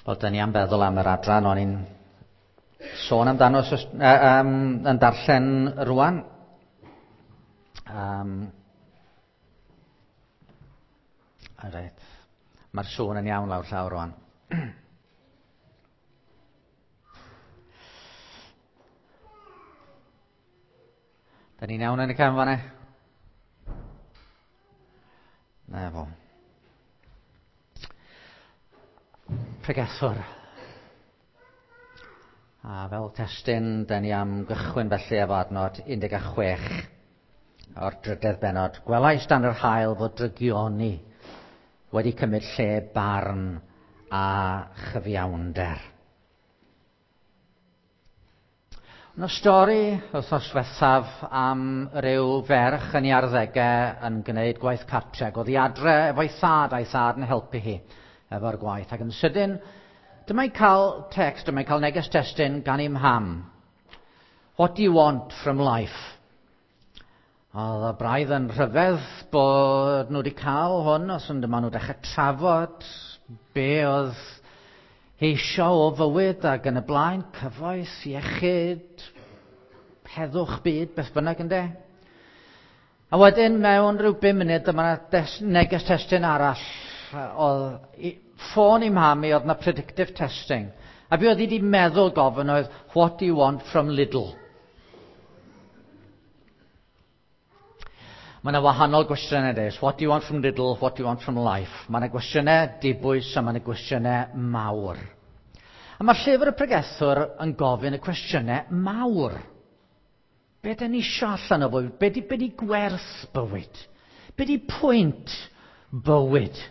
Wel, dyn ni am feddwl am yr adran o'n i'n sôn amdano yn darllen rwan. Reit, mae'r sŵn yn iawn lawr llawr rwan. Da ni'n iawn yn y cefn fan'na? Na fo. Pregethwr. A fel testun, da ni am gychwyn felly efo adnod 16 o'r drydedd bennod. Gwelais dan yr haul fod drygioni wedi cymryd lle barn a chyfiawnder. Yna stori wythnos diwethaf am ryw ferch yn ei arddegau yn gwneud gwaith cartre. Ac oedd hi adre efo'i thad a'i thad yn helpu hi efo'r gwaith. Ac yn sydyn, dyma'n cael text, dyma'n cael neges testun gan ei mham. What do you want from life? Oedd y braidd yn rhyfedd bod nhw wedi cael hwn, os yn dyma nhw dechrau trafod be oedd eisiau o fywyd ac yn y blaen, cyfoeth, iechyd, heddwch byd, beth bynnag ynde. A wedyn mewn rhyw 5 munud dyma neges testun arall. Oedd ffôn i mham i oedd na predictive testing. A be oedd hi wedi meddwl gofyn oedd, what do you want from Lidl? Mae yna wahanol gwestiynau deis. What do you want from Lidl? What do you want from life? Mae yna gwestiynau dibwys a mae yna gwestiynau mawr. A mae llyfr y pregethwr yn gofyn y cwestiynau mawr. Be dyn ni isio allan o fywyd? Be di, be di gwerth bywyd? Be di pwynt bywyd?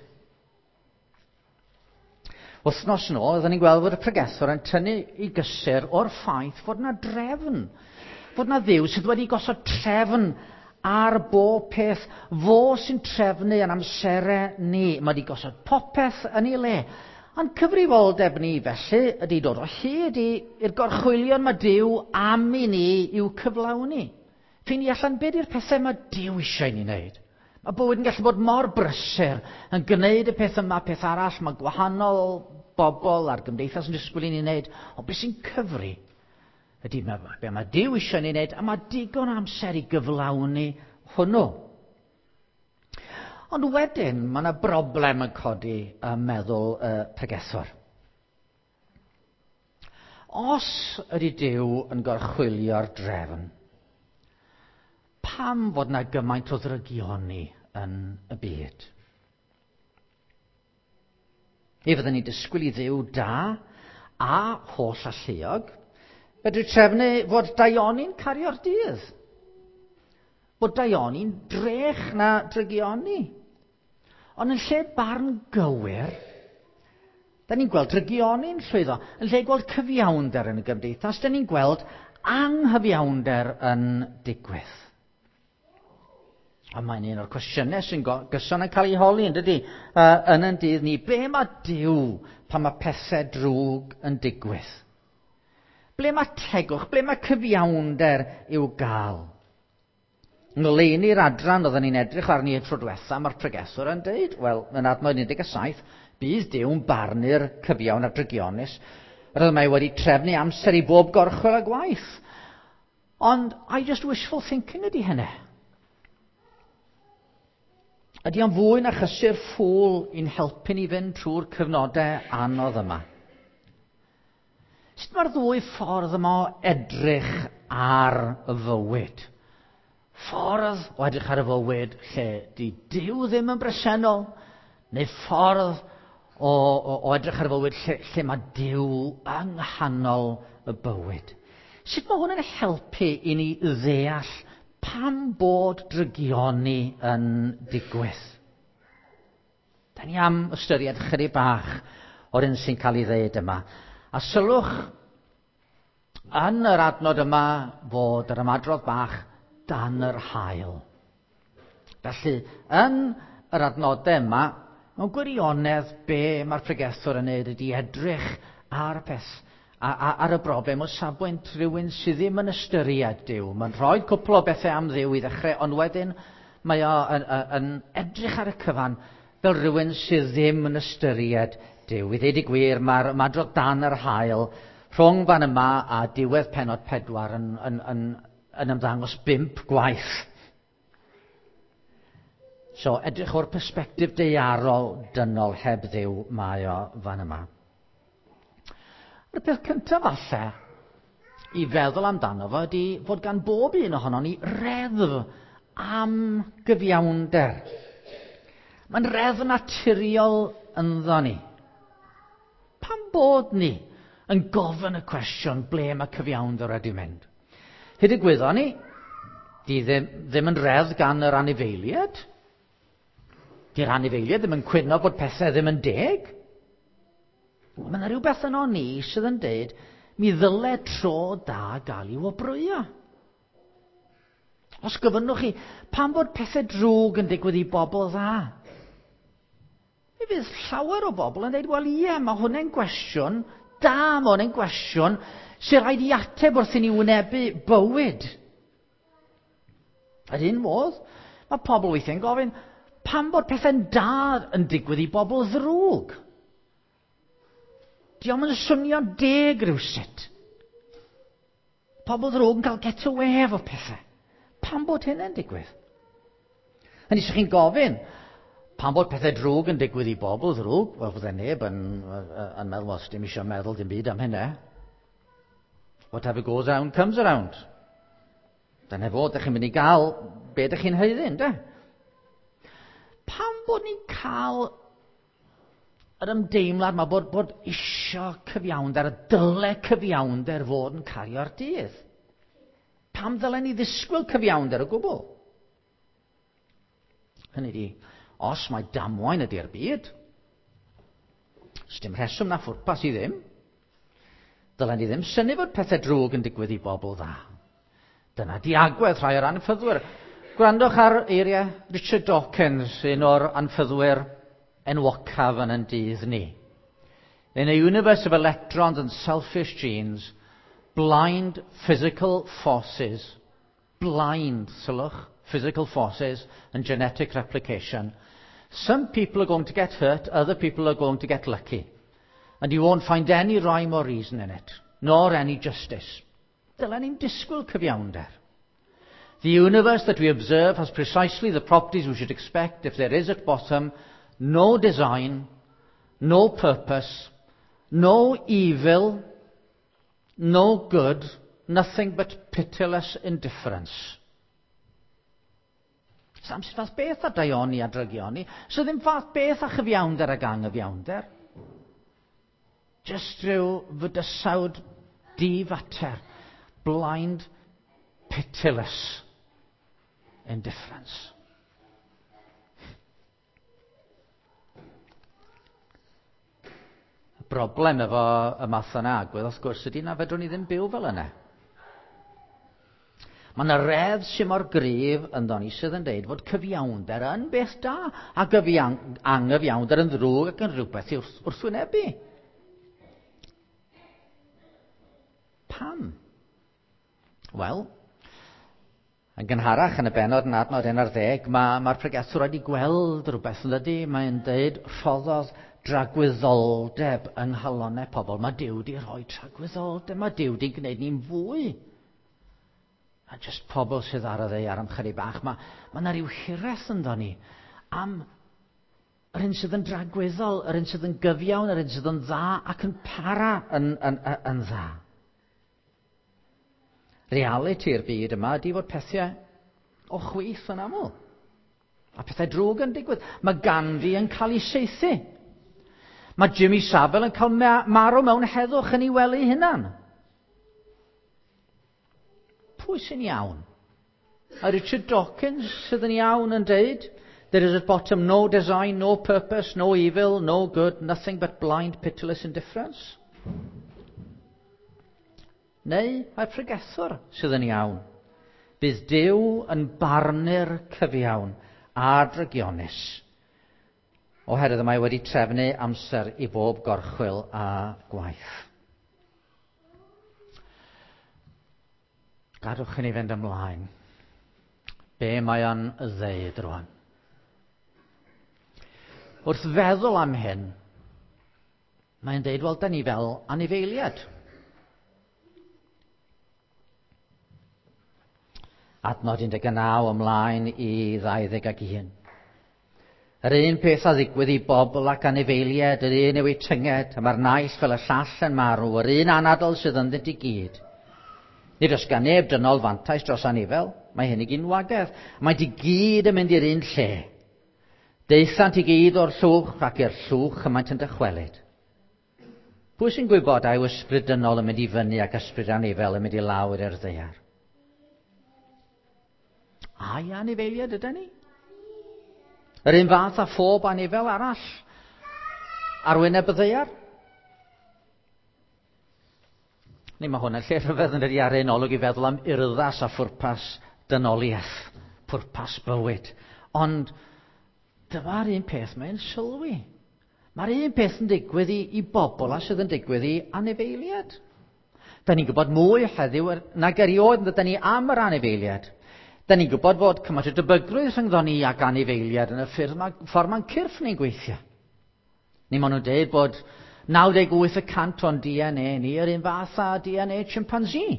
Wythnos yn ôl, oedden ni'n gweld fod y pregethwr yn tynnu i gysur o'r ffaith fod yna drefn. Fod yna Dduw sydd wedi gosod trefn ar bob peth. Fo sy'n trefnu yn amserau ni. Mae wedi gosod popeth yn ei le. Ond cyfrifoldeb ni felly ydy dod o hyd i'r gorchwylion mae Duw am i ni i'w cyflawni. Ffeindio allan be di'r pethau mae Duw eisiau i ni wneud. Mae bywyd yn gallu bod mor brysur yn gwneud y peth yma, peth arall, mae gwahanol bobl a'r gymdeithas yn disgwyl i ni wneud, ond beth sy'n cyfri ydy be mae Duw eisiau ni wneud, a mae digon amser i gyflawni hwnnw. Ond wedyn, mae yna broblem yn codi ym meddwl y pregethwr. Os ydy Duw yn gorchwylio'r drefn, pam fod yna gymaint o ddrygioni yn y byd? Mi fydden ni'n disgwyl i Dduw da a holl alluog fedru trefnu fod daioni'n cario'r dydd. Bod daioni'n drech na drygioni. Ond yn lle barn gywir, da ni'n gweld drygioni'n llwyddo. Yn lle gweld cyfiawnder yn y gymdeithas, da ni'n gweld anghyfiawnder yn digwydd. A mae'n un o'r cwestiynau sy'n gyson yn cael ei holi, yn dydy, yn ein dydd ni. Be mae Duw pan mae pethau drwg yn digwydd? Ble mae tegwch? Ble mae cyfiawnder i'w gael? Ngoleuni'r adran oedden ni'n edrych arni y tro diwetha, mae'r pregethwr yn deud, wel, yn adnod 17, bydd Duw'n barnu'r cyfiawn a'r drygionus. Yr oedd mae wedi trefnu amser i bob gorchwyl a gwaith. Ond, I just wishful thinking ydy hynny. Ydy o'n fwy na chysur ffŵl i'n helpu ni fynd trwy'r cyfnodau anodd yma? Sut mae'r ddwy ffordd yma o edrych ar y fywyd? Ffordd o edrych ar y fywyd lle di Duw ddim yn bresennol, neu ffordd o edrych ar y fywyd lle mae Duw yng nghanol y bywyd. Sut mae hwn yn helpu i ni ddeall pam bod drygioni yn digwydd? Da ni am ystyried chydig bach o'r un sy'n cael ei ddeud yma. A sylwch yn yr adnod yma fod yr ymadrodd bach dan yr haul. Felly, yn yr adnodau yma, mewn gwirionedd be mae'r pregethwr yn neud ydy edrych ar y peth, ar y broblem o safbwynt rhywun sydd ddim yn ystyried Duw. Mae'n rhoi cwpl o bethau am Dduw i ddechrau, ond wedyn mae o yn edrych ar y cyfan fel rhywun sydd ddim yn ystyried Duw. I ddeud y gwir, mae'r ymadrodd dan yr haul rhwng fan yma a diwedd pennod 4 yn ymddangos 5 gwaith. So, edrych o'r persbectif daearol dynol heb Dduw mae o fan yma. A'r peth cyntaf falle i feddwl amdano fo ydy fod gan bob un ohonon ni reddf am gyfiawnder. Mae'n reddf naturiol ynddo ni. Pam bod ni yn gofyn y cwestiwn ble mae cyfiawnder wedi mynd? Hyd y gwyddon ni, di ddim yn reddf gan yr anifeiliaid. Di'r anifeiliaid ddim yn cwyno bod pethau ddim yn deg. Mae yna rhywbeth yno ni sydd yn deud mi ddyle tro da gael ei wobrwyo. Os gofynnwch chi, pam bod pethau drwg yn digwydd i bobl dda? Mi fydd llawer o bobl yn dweud, wel ie, mae hwnna'n gwestiwn da, mae hwnna'n gwestiwn sy'n rhaid i ateb wrth i ni wynebu bywyd. Yr un modd, mae pobl weithiau'n gofyn, pam bod pethau'n da yn digwydd i bobl ddrwg? Dio'm yn swnio'n deg rhywsut. Pobl ddrwg yn cael get away efo pethau. Pam bod hynny'n digwydd? Hynny, os chi'n gofyn, pam bod pethau drwg yn digwydd i bobl ddrwg? Wel, fydde neb yn meddwl, wel, dim eisiau meddwl dim byd am hynny. Whatever goes round, comes around. Dyna fo, dych chi'n mynd i gael be dych chi'n haeddu, ynde? Pam bod ni'n cael yr ymdeimlad yma bod isio cyfiawnder, y dyle cyfiawnder fod yn cario'r dydd? Pam ddylen ni ddisgwyl cyfiawnder o gwbl? Hynny ydi, os mae damwain ydy'r byd, sdim rheswm na phwrpas i ddim, dylen ni ddim synnu fod pethau drwg yn digwydd i bobl dda. Dyna di agwedd rhai o'r anffyddwyr. Gwrandwch ar eiriau Richard Dawkins, un o'r anffyddwyr enwocaf yn ein dydd ni. In a universe of electrons and selfish genes, blind physical forces, blind, sylwch, physical forces and genetic replication, some people are going to get hurt, other people are going to get lucky. And you won't find any rhyme or reason in it, nor any justice. Dylen ni'n disgwyl cyfiawnder. The universe that we observe has precisely the properties we should expect if there is at bottom no design, no purpose, no evil, no good, nothing but pitiless indifference. Sam sydd fath beth â daioni a drygioni, so ddim fath beth â chyfiawnder ag anghyfiawnder. Just rhyw fydysawd difater, blind, pitiless indifference. Y broblem efo y math yna agwedd, wrth gwrs, ydy na fedrwn ni ddim byw fel yna. Mae yna reddf sy'n mor gryf ynddo ni sydd yn dweud fod cyfiawnder yn beth da ac anghyfiawnder yn ddrwg ac yn rhywbeth i wrthwynebu. Pam? Wel, yn gynharach yn y bennod yn adnod 11, mae'r pregethwr wedi gweld rhywbeth yn dydy. Mae'n dweud rhoddodd dragwyddoldeb yng nghalonnau pobl. Mae Duw wedi rhoi tragwyddoldeb, mae Duw wedi gwneud ni'n fwy. A jyst pobl sydd ar y ddaear am chydig bach, mae yna rhyw hiraeth ynddo ni am yr un sydd yn dragwyddol, yr un sydd yn gyfiawn, yr un sydd yn dda ac yn para yn dda. Realiti'r byd yma ydy fod pethau o chwith yn aml. A pethau drwg yn digwydd. Mae Gandhi yn cael ei saethu. Mae Jimmy Savile yn cael marw mewn heddwch yn ei wely hunan. Pwy sy'n iawn? A Richard Dawkins sydd yn iawn yn deud, there is at bottom no design, no purpose, no evil, no good, nothing but blind, pitiless indifference. Neu mae'r pregethwr sydd yn iawn. Bydd Duw yn barnu'r cyfiawn a drygionus, oherwydd mae wedi trefnu amser i bob gorchwyl a gwaith. Gadwch i ni fynd ymlaen. Be mae o'n ddeud rwan? Wrth feddwl am hyn, Mae'n deud, wel, da ni fel anifeiliad. Adnod 19 ymlaen i 21. Yr un peth a ddigwydd i bobl ac anifeiliaid, yr un yw eu tynged, a mae'r naill fel y llall yn marw, yr un anadl sydd ynddynt i gyd. Nid oes gan neb dynol fantais dros anifel, mae hyn i gyd yn wagedd. Maent i gyd yn mynd i'r un lle. Daethant i gyd o'r llwch ac i'r llwch y maent yn dychwelyd. Pwy sy'n gwybod a yw ysbryd dynol yn mynd i fyny ac ysbryd anifel yn mynd i lawr i'r ddaear? Ai anifeiliaid ydy ni? Yr un fath â phob anifel arall ar wyneb y ddaear. Ni mae hwn yn lle rhyfedd yn dydi ar un olwg i feddwl am urddas a phwrpas dynoliaeth, pwrpas bywyd. Ond dyma'r un peth mae'n sylwi. Mae'r un peth yn digwydd i, i bobl a sydd yn digwydd i anifeiliad. Da ni'n gwybod mwy heddiw nag erioed yn dydyn ni am yr anifeiliad. Da ni'n gwybod fod cymaint o debygrwydd rhyngddon ni ac anifeiliad yn y ffyrdd ma, ffordd mae'n cyrff ni'n gweithio. Ni maen nhw'n dweud bod 98% o'n DNA ni yr un fath â DNA chimpanzee.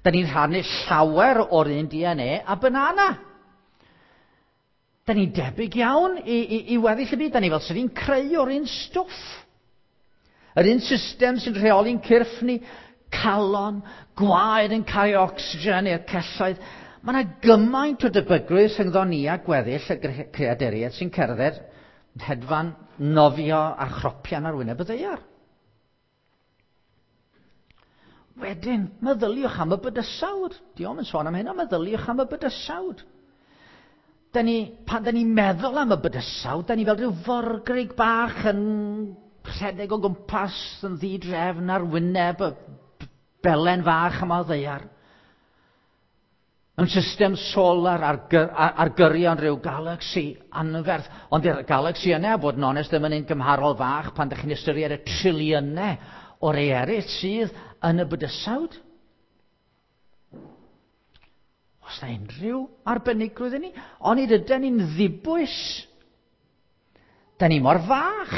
Da ni'n rhannu llawer o'r un DNA a banana. Da ni'n debyg iawn i, i, i weddill y byd. Da ni fel sydd ni'n creu o'r un stwff. Yr un system sy'n rheoli'n cyrff ni, calon, gwaed yn cael ocsigen i'r celloedd. Mae yna gymaint o debygrwydd rhyngddo ni a gweddill y creaduriaid sy'n cerdded, hedfan, nofio a chropian ar wyneb y ddaear. Wedyn, meddyliwch am y bydysawd. Diolch yn sôn am hynna, meddyliwch am y bydysawd. Da ni, pan da ni'n meddwl am y bydysawd, da ni fel rhyw forgrig bach yn rhedeg o gwmpas yn ddidrefn ar wyneb y belen fach yma o ddaear. Mewn system solar ar, gyr, ar, ar gyrion rhyw galaxy anferth. Ond i'r galaxy yna, bod yn onest, ddim yn un gymharol fach pan ydych chi'n ystyried y triliynau o rei eraill sydd yn y bydysawd. Os na unrhyw arbenigrwydd i ni, onid ydyn ni'n ddibwys. Da ni mor fach.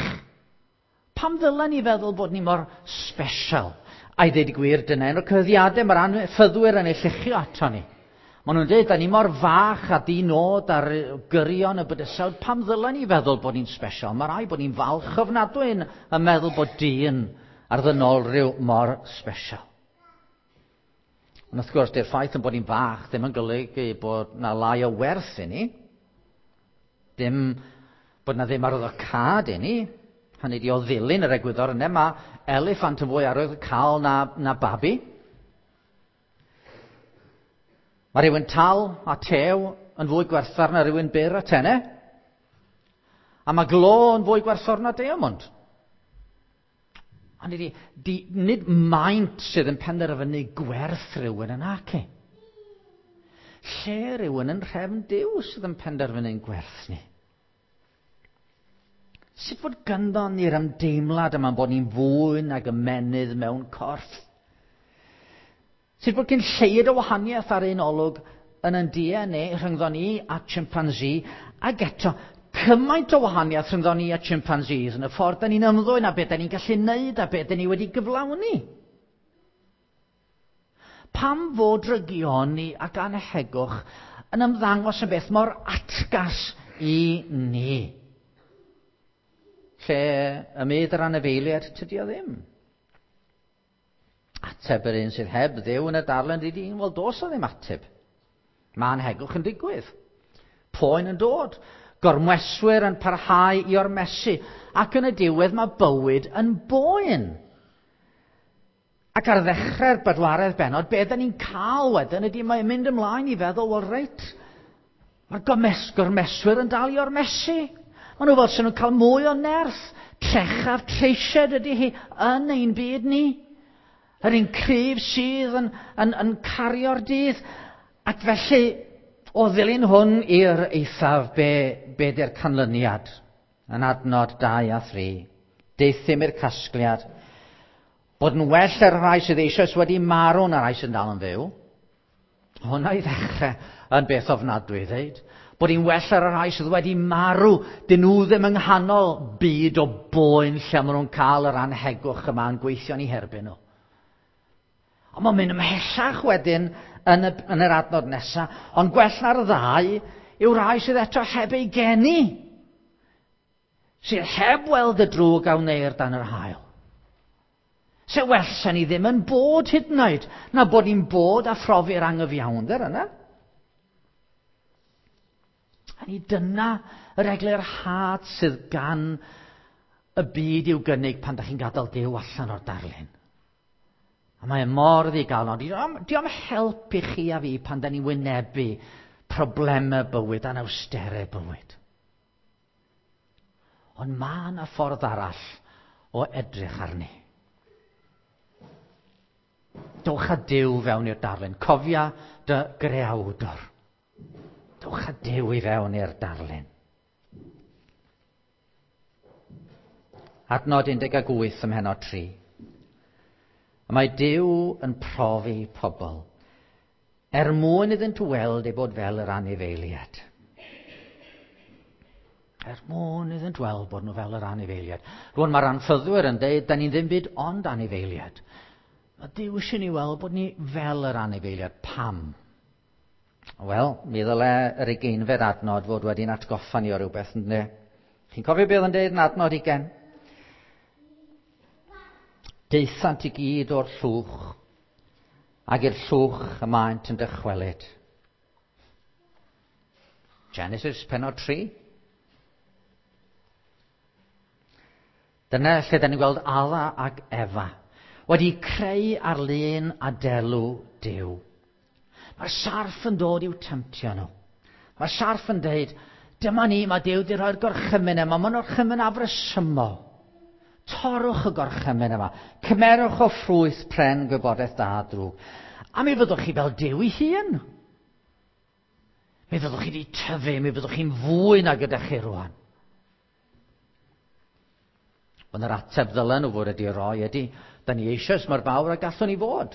Pam ddylen ni feddwl bod ni mor special? A i ddweud y gwir, dyna un o'r cyhuddiadau mae'r anffyddwyr yn ei lluchio ato ni. Maen nhw'n dweud, da ni mor fach a di nod ar gyrion y bydysawd, pam ddylen ni feddwl bod ni'n special? Mae rai bod ni'n falch ofnadwy yn, yn meddwl bod dyn ar ddynol rhyw mor special. Ond wrth gwrs, dy'r ffaith yn bod ni'n fach ddim yn golygu bod na lai o werth i ni. Dim bod na ddim arwyddocâd i ni. Hynny di o ddilyn yr egwyddor yna, mae eliffant yn fwy arwyddocaol na, na babi. Mae rhywun tal a tew yn fwy gwerthfawr na rhywun byr a tene. A mae glo yn fwy gwerthfawr na diamond. Ond di, di, nid maint sydd yn penderfynu gwerth rhywun yn ac Lle rhywun yn rhefn Duw sydd yn penderfynu'n gwerth ni. Sut fod ganddo ni'r ymdeimlad yma bod ni'n fwy nag ymenydd mewn corff? Sut fod cyn lleied o wahaniaeth ar un olwg yn yn DNA rhyngddo ni a chimpanzee, ac eto cymaint o wahaniaeth rhyngddo ni a chimpanzees yn y ffordd da ni'n ymddwyn a beth da ni'n gallu neud a beth da ni wedi gyflawni. Pam fod drygioni ac anhegwch yn ymddangos yn beth mor atgas i ni? Lle y myd yr anifeiliaid, tydi o ddim. Ateb yr un sydd heb Dduw yn y darllen ydy, wel dos o ddim ateb. Mae anhegwch yn digwydd. Poen yn dod. Gormeswyr yn parhau i ormesu. Ac yn y diwedd mae bywyd yn boen. Ac ar ddechrau'r bedwaredd bennod, be da ni'n cael wedyn ydy mae'n mynd ymlaen i feddwl, wel reit, mae'r gormeswyr yn dal i ormesu. Maen nhw fel sy'n nhw'n cael mwy o nerth. Trechaf treisied ydy hi yn ein byd ni. Yr un cryf sydd yn, yn, yn cario'r dydd. Ac felly, o ddilyn hwn i'r eithaf, be, be di'r canlyniad? Yn adnod 2 a 3. Deuthum i'r casgliad bod yn well ar rhai sydd eisoes wedi marw na rhai sy'n dal yn fyw. Hwna i ddechrau yn beth ofnadwy, ddeud. Bod hi'n well ar y rhai sydd wedi marw, dyn nhw ddim yng nghanol byd o boen lle maen nhw'n cael yr anhegwch yma yn gweithio'n eu herbyn nhw. Ond mae'n mynd ymhellach wedyn yn yr adnod nesaf, ond gwell na'r ddau yw rhai sydd eto heb ei geni, sydd heb weld y drwg a wneir dan yr haul. Se well se ni ddim yn bod hyd yn oed, na bod ni'n bod a phrofi'r angyfiawnder yna. A ni dyna yr eglurhad sydd gan y byd i'w gynnig pan da chi'n gadael Duw allan o'r darlun. A mae e mor ddigalon. Di o'm help i chi a fi pan da ni'n wynebu problemau bywyd, anawsterau bywyd. Ond mae yna ffordd arall o edrych arni. Dowch â Duw fewn i'r darlun. Cofia dy greawdor. Dowch â Duw i fewn i'r darlun. Adnod 18 ym mhennod 3. Mae Duw yn profi pobl er mwyn iddynt weld ei bod fel yr anifeiliad. Er mwyn iddynt weld bod nhw fel yr anifeiliad. Rwan mae'r anffyddwyr yn dweud, da ni'n ddim byd ond anifeiliad. Mae Duw eisiau ni weld bod ni fel yr anifeiliad. Pam? Wel, mi ddyle yr ugeinfed adnod fod wedi'n atgoffa ni o rywbeth, ynddo? Chi'n cofio beth oedd yn dweud yn adnod 20? Daethant i gyd o'r llwch, ac i'r llwch y maent yn dychwelyd. Genesis pennod 3. Dyna lle da ni'n gweld Adda ac Efa wedi creu ar lun a delw Duw. Mae'r sarff yn dod i'w temtio nhw. Mae'r sarff yn dweud, dyma ni, mae Duw wedi rhoi'r gorchymyn yma, mae'n orchymyn afresymol. Torrwch y gorchymyn yma. Cymerwch o ffrwyth pren gwybodaeth da a drwg. A mi fyddwch chi fel Duw ei hun. Mi fyddwch chi wedi tyfu, mi fyddwch chi'n fwy na gyda chi rwan. Ond yr ateb ddylen nhw fod wedi roi ydy, da ni eisoes mor fawr a gallwn ni fod.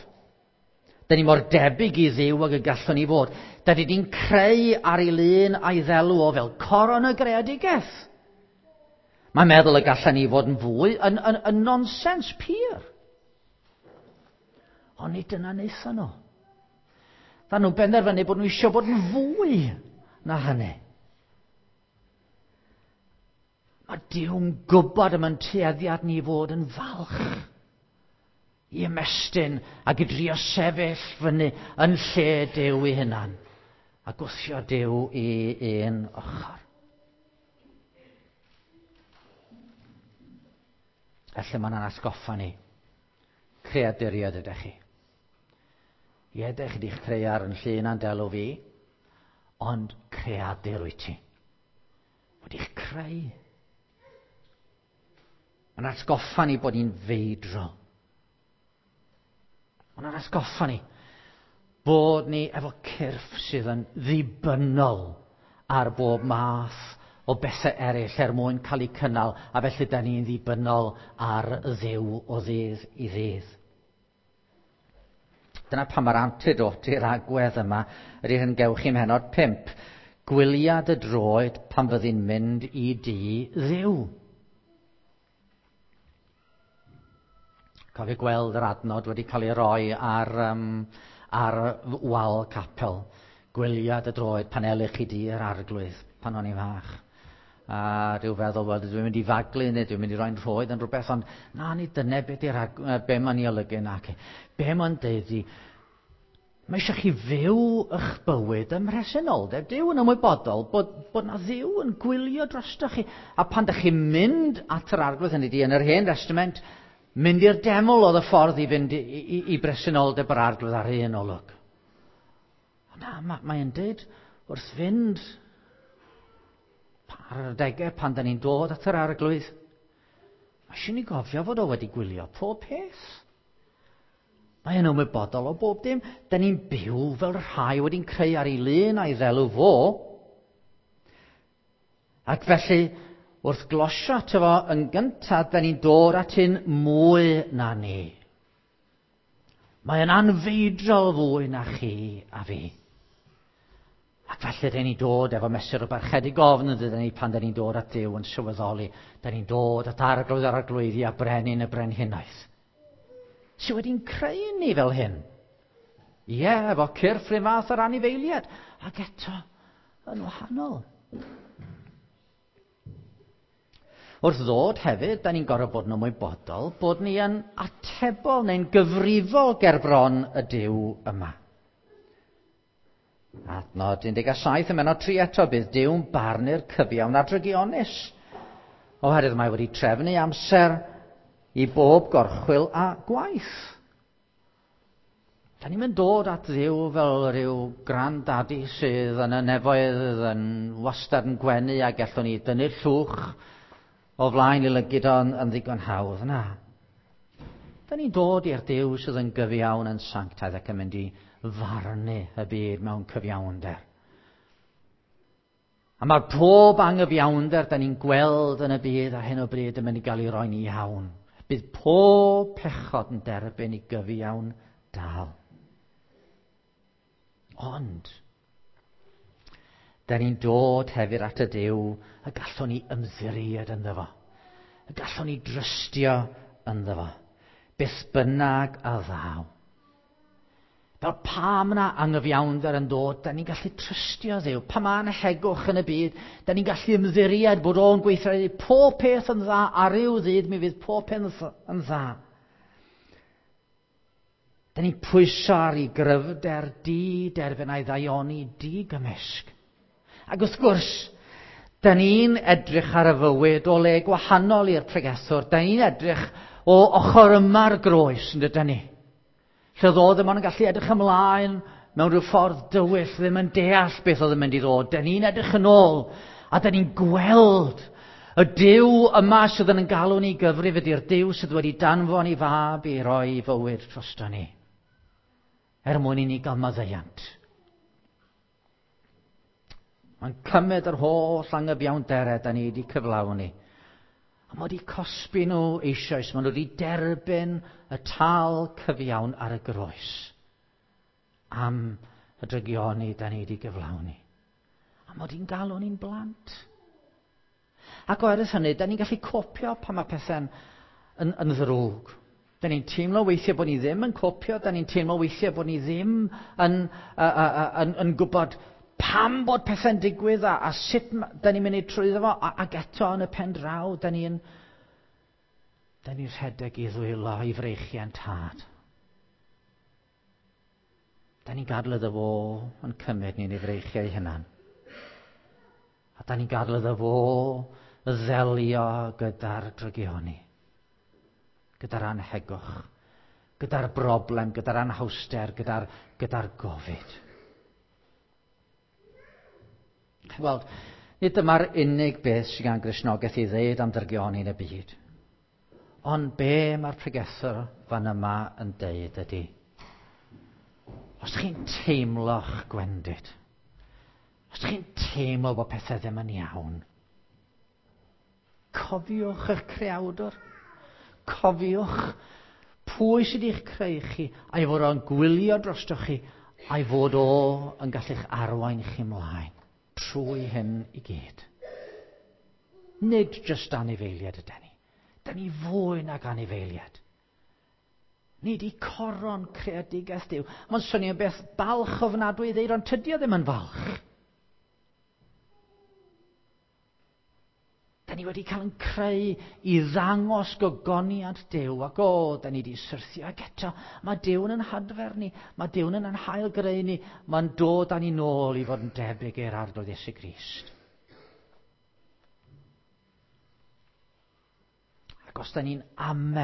Da ni mor debyg i Dduw ag y gallwn ni fod. Da ni wedi'n creu ar ei lun a'i ddelw o fel coron y greadigaeth. Mae'n meddwl y gallen ni fod yn fwy yn nonsens pur. Ond nid dyna wnaethon nhw. Dda nhw'n benderfynu bod nhw eisiau bod yn fwy na hynny. Mae Duw'n gwybod am yn tueddiad ni fod yn falch i ymestyn ac i drio sefyll fyny yn lle Duw ei hunan a gwthio Duw i un ochr. Felly mae'n atgoffa ni. Creaduriaid ydych chi. Ie, ydych chi wedi'ch creu ar yn llun a'n delw fi, ond creadur wyt ti. Wedi'ch creu. Mae'n atgoffa ni bod ni'n feidrol. Mae'n atgoffa ni bod ni efo cyrff sydd yn ddibynnol ar bob math o bethau eraill er mwyn cael eu cynnal, a felly da ni'n ddibynnol ar Dduw o ddydd i ddydd. Dyna pam mae'r antidote i'r agwedd yma ydy'r hyn gewch chi mhenod 5. Gwylia dy droed pan fyddi'n mynd i dŷ Dduw. Cofio gweld yr adnod wedi cael ei roi ar wal capel. Gwylia dy droed pan elych i dŷ yr arglwydd pan o'n i'n fach. A rhyw feddwl, wel, dwi'n mynd i faglu neu dwi'n mynd i roi'n rhoed yn rhywbeth, ond na, ni dyna be be mae'n ei olygu nac. Be mae'n deud i, mae eisiau chi fyw eich bywyd ym mhresenoldeb Duw yn ymwybodol bod na Dduw yn gwylio drostoch chi. A pan ydych chi'n mynd at yr arglwydd, hynny ydi, yn yr Hen Testament, mynd i'r deml oedd y ffordd i fynd i bresenoldeb yr arglwydd ar un olwg. Ond na, mae'n deud wrth fynd ar yr adegau pan da ni'n dod at yr arglwydd, mae eisiau ni gofio fod o wedi gwylio pob peth. Mae yn ymwybodol o bob dim. Da ni'n byw fel rhai wedi'n creu ar ei lun a'i ddelw fo. Ac felly, wrth glosio ato fo yn gyntaf, da ni'n dod at un mwy na ni. Mae yn anfeidrol fwy na chi a fi. Ac felly dyn ni'n dod efo mesur o barchedig ofn yn dydyn ni pan dyn ni'n dod at Duw yn sylweddoli. Dyn ni'n dod at arglwydd yr arglwyddi a brenin y brenhinoedd. Sy wedi'n creu ni fel hyn. Ie, efo cyrff rhywun fath o'r anifeiliad. Ac eto, yn wahanol. Wrth ddod hefyd, da ni'n gorfod bod yn ymwybodol bod ni yn atebol neu'n gyfrifol gerbron y Duw yma. Adnod 17 ym mennod 3 eto, bydd Duw'n barnu'r cyfiawn a'r drygionus. Oherwydd mae wedi trefnu amser i bob gorchwyl a gwaith. Da ni'n mynd dod at Dduw fel rhyw grandaddy sydd yn y nefoedd yn wastad yn gwenu a gallwn ni dynnu'r llwch o flaen i lygid o'n yn ddigon hawdd. Na. Da ni'n dod i'r Duw sydd yn gyfiawn yn sanctaidd ac yn mynd i farnu y byd mewn cyfiawnder. A mae'r pob angyfiawnder da ni'n gweld yn y byd ar hyn o bryd yn mynd i gael ei roi'n iawn. Bydd pob pechod yn derbyn i gyfiawn dal. Ond, da ni'n dod hefyd at y Duw y gallwn ni ymddiried ynddo fo. Y gallwn ni drystio ynddo fo. Beth bynnag a ddaw. Fel pam yna angyfiawnder yn dod, da ni'n gallu trystio Dduw. Pa mae anhegwch yn y byd, da ni'n gallu ymddiried bod o'n gweithredu pob peth yn dda, a ryw ddydd mi fydd pob peth yn dda. Da ni'n pwyso ar ei gryfder di derfyn a'i ddaioni di gymysg. Ac wrth gwrs, da ni'n edrych ar y fywyd o le gwahanol i'r pregethwr. Da ni'n edrych o ochr yma'r groes, yn dydyn ni? Lle oedd o ddim ond yn gallu edrych ymlaen mewn rhyw ffordd dywyll, ddim yn deall beth oedd yn mynd i ddod. Da ni'n edrych yn ôl a da ni'n gweld y Duw yma sydd yn galw ni gyfrif ydy'r Duw sydd wedi danfon i fab i roi fywyd drosto ni. Er mwyn i ni gael maddeuant. Mae'n cymryd yr holl angyfiawnderau da ni wedi cyflawni. A mae wedi cosbi nhw eisoes. Maen nhw wedi derbyn y tal cyfiawn ar y groes am y drygioni da ni wedi gyflawni. A mae wedi'n galw ni'n blant. Ac oherwydd hynny, da ni'n gallu copio pan mae pethau'n yn, yn ddrwg. Da ni'n teimlo weithiau bod ni ddim yn copio, da ni'n teimlo weithiau bod ni ddim yn, yn, yn gwybod pam bod pethau'n digwydd a sut da ni'n mynd i trwyddo fo, ac eto yn y pen draw, da ni'n da ni rhedeg i ddwylo i freichiau'n tad. Da ni'n gadael iddo fo yn cymryd ni'n ei freichiau hunan. A da ni'n gadael iddo fo ddelio gyda'r drygioni, gyda'r anhegwch, gyda'r broblem, gyda'r anhawster, gyda'r gyda gofid. Wel, nid dyma'r unig beth sydd gan Gristnogaeth i ddeud am drygioni yn y byd. Ond be mae'r pregethwr fan yma yn deud ydy, os chi'n teimlo'ch gwendid, os chi'n teimlo bod pethau ddim yn iawn, cofiwch eich creawdwr, cofiwch pwy sydd wedi'ch creu chi, a'i fod o'n gwylio drostoch chi, a'i fod o yn gallu'ch arwain chi ymlaen trwy hyn i gyd. Nid jyst anifeiliaid ydy ni. Da ni fwy nag anifeiliaid. Nid i coron creadigaeth Duw. Mae'n swnio'n beth balch ofnadwy i ddeud, ond tydi o ddim yn falch. Da ni wedi cael yn creu i ddangos gogoniant Duw, ac o, da ni wedi syrthio, ac eto, mae Duw yn hadfer ni, mae Duw yn hail greu ni, mae'n dod â ni nôl i fod yn debyg i'r Arglwydd Iesu Grist. Ac os da ni'n ame,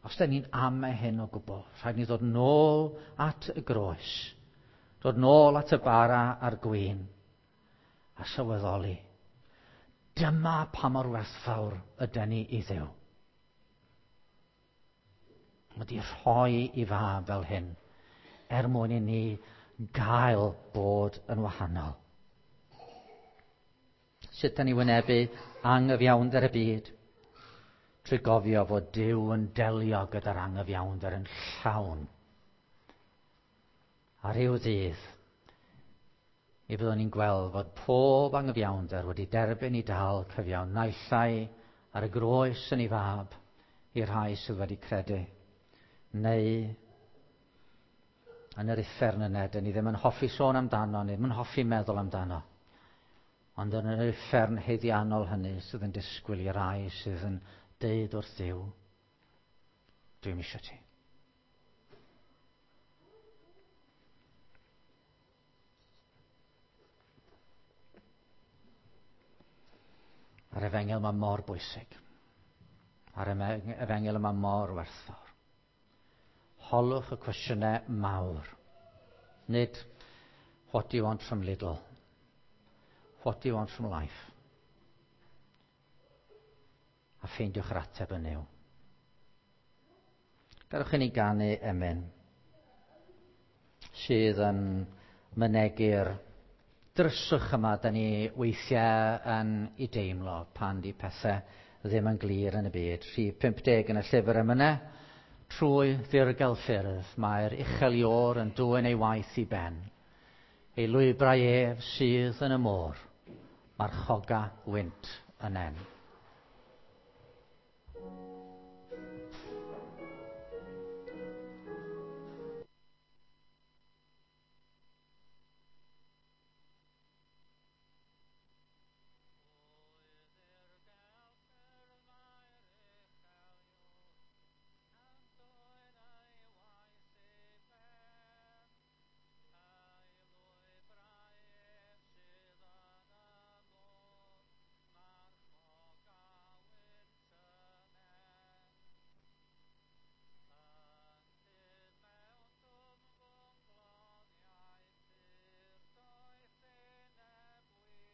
os da ni'n ame hyn o gwbl, rhaid ni ddod nôl at y groes, dod nôl at y bara a'r gwin, a sylweddoli. Dyma pa mor werthfawr ydy ni i Dduw. Mae wedi rhoi i fab fel hyn, er mwyn i ni gael bod yn wahanol. Sut da ni wynebu angyfiawnder y byd? Trwy gofio fod Duw yn delio gyda'r angyfiawnder yn llawn. A rhyw ddydd, mi fyddwn ni'n gweld fod pob angyfiawnder wedi derbyn ei dal cyfiawn, naill ai ar y groes yn ei fab i'r rhai sydd wedi credu, neu yn yr uffern yna, dyn ni ddim yn hoffi sôn amdano, ni ddim yn hoffi meddwl amdano. Ond yn yr uffern haeddiannol hynny sydd yn disgwyl i rai sydd yn deud wrth Dduw, dwi'm eisiau ti. A'r efengyl yma mor bwysig. A'r efengyl yma mor werthfawr. Holwch y cwestiynau mawr. Nid, what do you want from Lidl? What do you want from life? A ffeindiwch yr ateb yn Nuw. Gadewch i ni ganu emyn sydd yn mynegi'r dryswch yma da ni weithiau yn ei deimlo pan di pethau ddim yn glir yn y byd. Rhif 50 yn y llyfr emynau, trwy ddirgel ffyrdd mae'r uchel Iôr yn dwyn ei waith i ben. Ei lwybrau ef sydd yn y môr, marchoga wynt yn en.